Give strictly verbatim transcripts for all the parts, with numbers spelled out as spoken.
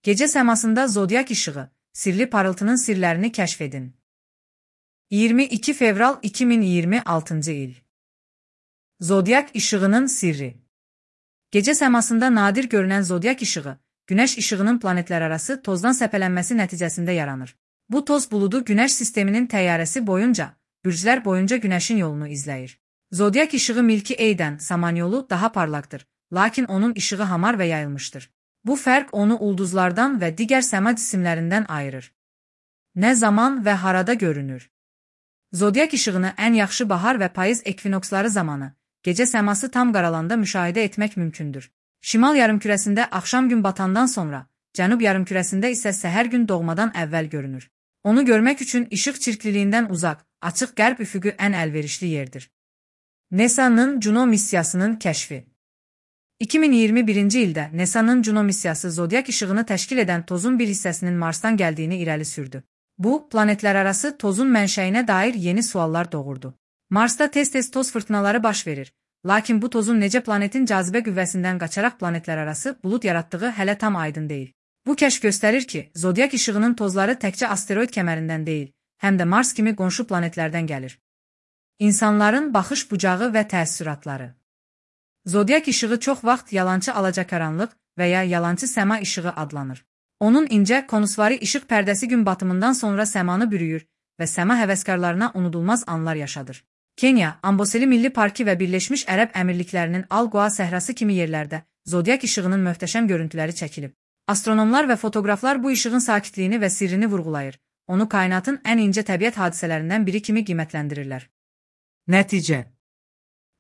Gece səmasında zodyak işığı, sirli parıltının sirlərini kəşf edin. iyirmi iki fevral iki min iyirmi altıncı il. Zodyak işığının sirri. Gece səmasında nadir görünən zodyak işığı, Günəş işığının planetlərarası tozdan səpələnməsi nəticəsində yaranır. Bu toz buludu Günəş sisteminin təyyarəsi boyunca, bürclər boyunca Günəşin yolunu izləyir. Zodyak işığı Milky Way-dən Samanyolu daha parlaqdır, lakin onun işığı hamar və yayılmışdır. Bu fərq onu ulduzlardan və digər səma cisimlərindən ayırır. Nə zaman və harada görünür? Zodyak işığını ən yaxşı bahar və payız ekvinoksları zamanı, gecə səması tam qaralanda müşahidə etmək mümkündür. Şimal yarımkürəsində axşam gün batandan sonra, cənub yarımkürəsində isə səhər gün doğmadan əvvəl görünür. Onu görmək üçün işıq çirkliliyindən uzaq, açıq qərb üfüqü ən əlverişli yerdir. NASA'nın Juno missiyasının kəşfi. iki min iyirmi birinci ildə NASA'nın Juno missiyası zodyak işığını təşkil edən tozun bir hissəsinin Marsdan gəldiyini irəli sürdü. Bu, planetlərarası tozun mənşəyinə dair yeni suallar doğurdu. Marsda tez-tez toz fırtınaları baş verir, lakin bu tozun necə planetin cazibə qüvvəsindən qaçaraq planetlərarası bulud yaratdığı hələ tam aydın deyil. Bu kəşf göstərir ki, zodyak işığının tozları təkcə asteroid kəmərindən deyil, həm də Mars kimi qonşu planetlərdən gəlir. İnsanların baxış bucağı və təəssüratları. Zodyak işığı çox vaxt yalançı alacakaranlıq və ya yalançı səma işığı adlanır. Onun incə, konusvari işıq pərdəsi gün batımından sonra səmanı bürüyür və səma həvəskarlarına unudulmaz anlar yaşadır. Kenya, Amboseli Milli Parkı və Birləşmiş Ərəb Əmirliklərinin Al-Qoa səhrası kimi yerlərdə zodyak işığının möhtəşəm görüntüləri çəkilib. Astronomlar və fotoqraflar bu işığın sakitliyini və sirrini vurğulayır. Onu kainatın ən incə təbiət hadisələrindən biri kimi qiymətləndirirlər. Nəticə.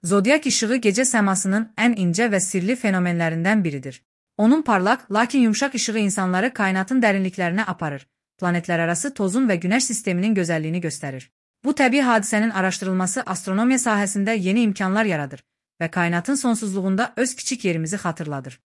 Zodyak işığı gecə səmasının ən incə və sirli fenomenlərindən biridir. Onun parlaq, lakin yumşaq işığı insanları kainatın dərinliklərinə aparır, planetlərarası tozun və Günəş sisteminin gözəlliyini göstərir. Bu təbii hadisənin araşdırılması astronomiya sahəsində yeni imkanlar yaradır və kainatın sonsuzluğunda öz kiçik yerimizi xatırladır.